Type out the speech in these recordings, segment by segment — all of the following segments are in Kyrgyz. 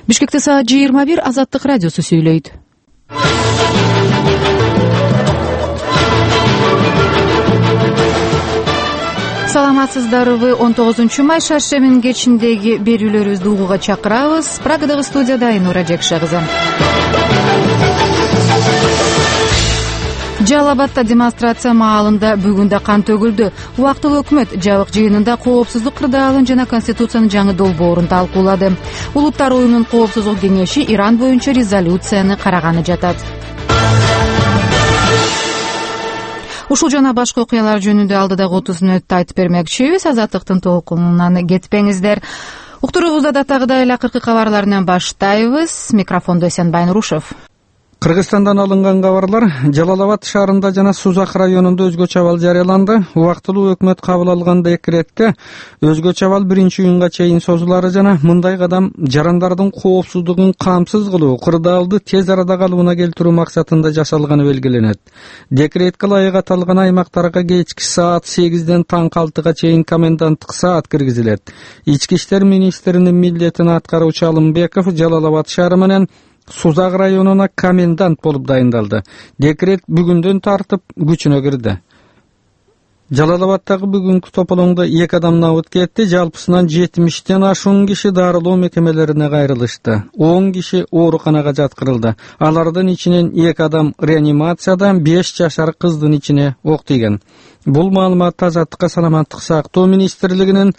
Бишкекте саат 21, Азаттык радиосу сүйлөйт. Саламатсыздарбы? 19 май шаршембинин кечиндеги берүүлөрүбүздү угууга чакырабыз. Прагадагы студияда Айнура Жекше кызы. Жалал Абадта демонстрация маалында бүгүн да кан төгүлдү. Убактылуу өкмөт жабык жыйынында коопсуздук кырдаалын жана Конституциянын жаңы долбоорун талкуулады. Улуттар уюмунун коопсуздук кеңеши Иран боюнча резолюцияны караганы жатат. Ушул жана башка окуялар жөнүндө алдыдагы 30 мүнөттө айтып бермекчибиз. Азаттыктын толкунунан кетпеңиздер. Уктуруубузда датагыдай эле акыркы кабарларынан баштайбыз. Микрофондо Эсенбай Нурушев. Кыргызстандан алынган кабарлар: Жалал Абад шаарында жана Сузак районунда өзгөчө абал жарыяланды. Убактылуу өкмөт кабыл алган декретке өзгөчө абал 1-июнга чейин созулары жана мындай кадам жарандардын коопсуздугун камсыз кылуу, кырдаалды тез арада калыбына келтирүү максатында жасалганы белгиленет. Декретке ылайык аталган аймактарга кечки саат 8ден таңкы 6га чейин коменданттык саат киргизилет. Ички иштер министринин милдетин аткаруучу Алымбеков Жалал Абад шаары менен Сузак районуна комендант болуп дайындалды. Декрет бүгүндөн тартып күчүнө кирди. Жалал Абадтагы бүгүнкү тополоңдо 2 адам набыт кетти. Жалпысынан 70ден ашуун киши дарылоо мекемелерине кайрылышты. 10 киши ооруканага жаткырылды. Алардын ичинен 2 адам реанимацияда, 5 жашар кыздын ичине ок тийген. Бул маалыматты Азаттыкка саламаттык сактоо министрлигинин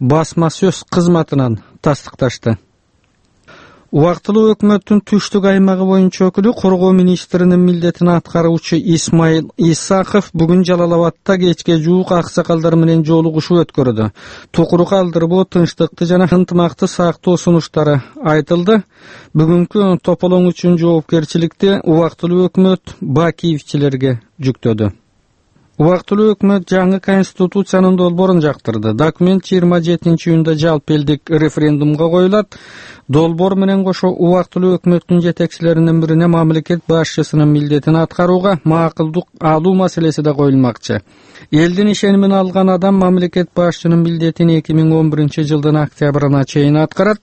басма сөз кызматынан тастыкташты. Убактылуу өкмөттүн түштүк аймагы боюнча өкүлү коргоо министринин милдетин аткаруучу Исмаил Исаков бүгүн Жалал Абадта кечке жуук аксакалдар менен жолугушуу өткөрдү. Тукуру калтырбоо, тынчтыкты жана ынтымакты сактоо сунуштары айтылды. Бүгүнкү тополоң үчүн жоопкерчиликти убактылуу өкмөт Бакиевчилерге жүктөдү. Убактылуу өкмөт жаңы Конституциянын долбоорун жактырды. Документ 27-июнда жалпы элдик референдумга коюлат. Долбоор менен кошо убактылуу өкмөттүн жетекчилеринин бирине мамлекет башчысынын милдетин аткарууга макулдук алуу маселеси да коюлмакчы. Элдин ишенимин алган адам мамлекет башчынын милдетин 2011-жылдын октябрына чейин аткарат.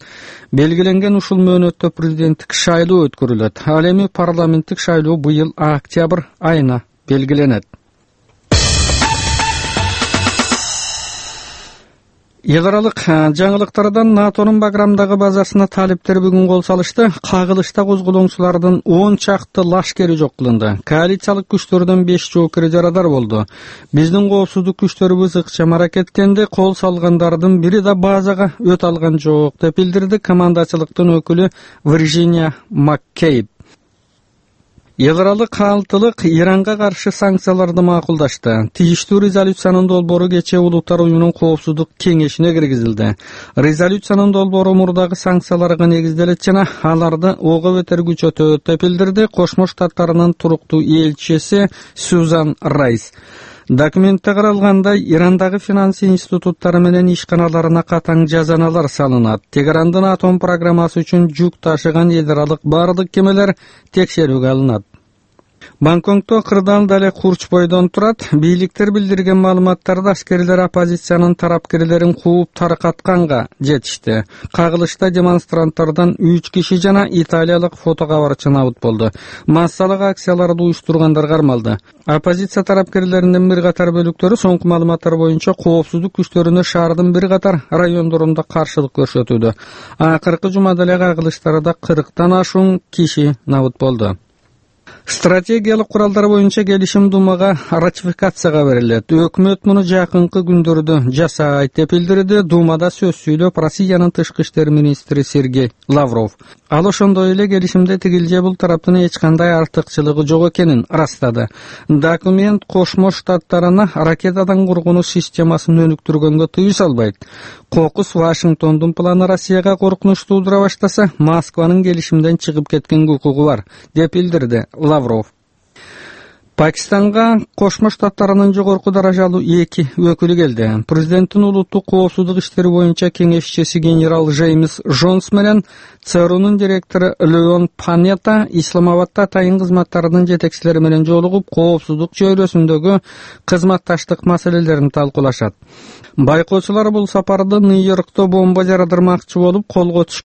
Белгиленген ушул мөөнөттө президенттик шайлоо өткөрүлөт. Ал эми парламенттик шайлоо быйыл октябрь айына белгиленет. Эл аралык жаңылыктардан НАТОнун Баграмдагы базасына талиптер бүгүн кол салышты. Кагылышта козголоңчулардын 10 чакты лашкери жок кылынды. Коалициялык күчтөрдөн 5 жоокери жарадар болду. Биздин коопсуздук күчтөрүбүз ыкчам аракеттенди. Кол салгандардын бири да базага өтө алган жок деп билдирди командачылыктын өкүлү Вирджиния Маккейб. Эл аралык каалтылык Иранга каршы санкцияларды макулдашты. Тийиштүү резолюциянын долбоору кечээ Улуттар уюмунун коопсуздук кеңешине киргизилди. Резолюциянын долбоору мурдагы санкцияларга негизделет жана аларды ого бетер күчөтөт деп билдирди Кошмо Штаттарынын туруктуу элчиси Сюзан Райс. Документте каралгандай, Ирандагы финанс институттары менен ишканаларына катаң жазаналар салынат. Тегерандын атом программасы үчүн жүк ташыган эл аралык бардык кемелер текшерүүгө алынат. Бангкокто кырдаал дале курч бойдон турат. Бийликтер билдирген маалыматтарда аскерлер оппозициянын тарапкерлерин кууп таркатканга жетишти. Кагылышта демонстранттардан 3 киши жана италиялык фотокабарчы набыт болду. Массалык акцияларды уюштургандар кармалды. Оппозиция тарапкерлеринин бир катар бөлүктөрү соңку маалыматтар боюнча коопсуздук күчтөрүнө шаардын бир катар райондорунда каршылык көрсөтүүдө. Акыркы жумада эле кагылыштарда 40тан ашуун киши набыт болду. Стратегиялык куралдар боюнча келишим Думага ратификацияга берилет. Өкмөт муну жакынкы күндөрдө жасайт деп билдирди Думада сөз сүйлөп Россиянын тышкы иштер министри Сергей Лавров. Ал ошондой эле келишимде тигил же бул тараптын эч кандай артыкчылыгы жок экенин ырастады. Документ Кошмо Штаттарына ракетадан коргонуу системасын өнүктүргөнгө тыюу салбайт. Кокус Вашингтондун планы Россияга коркунуч туудура баштаса, Москванын келишимден чыгып кеткен укугу бар деп билдирди Лавров. Пакистанга Кошмо Штаттарынын жогорку даражалуу 2 өкүлү келди. Президенттин улуттук коопсуздук иштери боюнча кеңешчиси генерал Джеймс Джонс менен ЦРУнун директору Леон Панетта Исламабадда атайын кызматтарынын жетекчилери менен жолугуп, коопсуздук чөйрөсүндөгү кызматташтык маселелерин талкуулашат. Байкоочулар бул сапарды Нью-Йоркто бомба жарадырмакчы болуп колго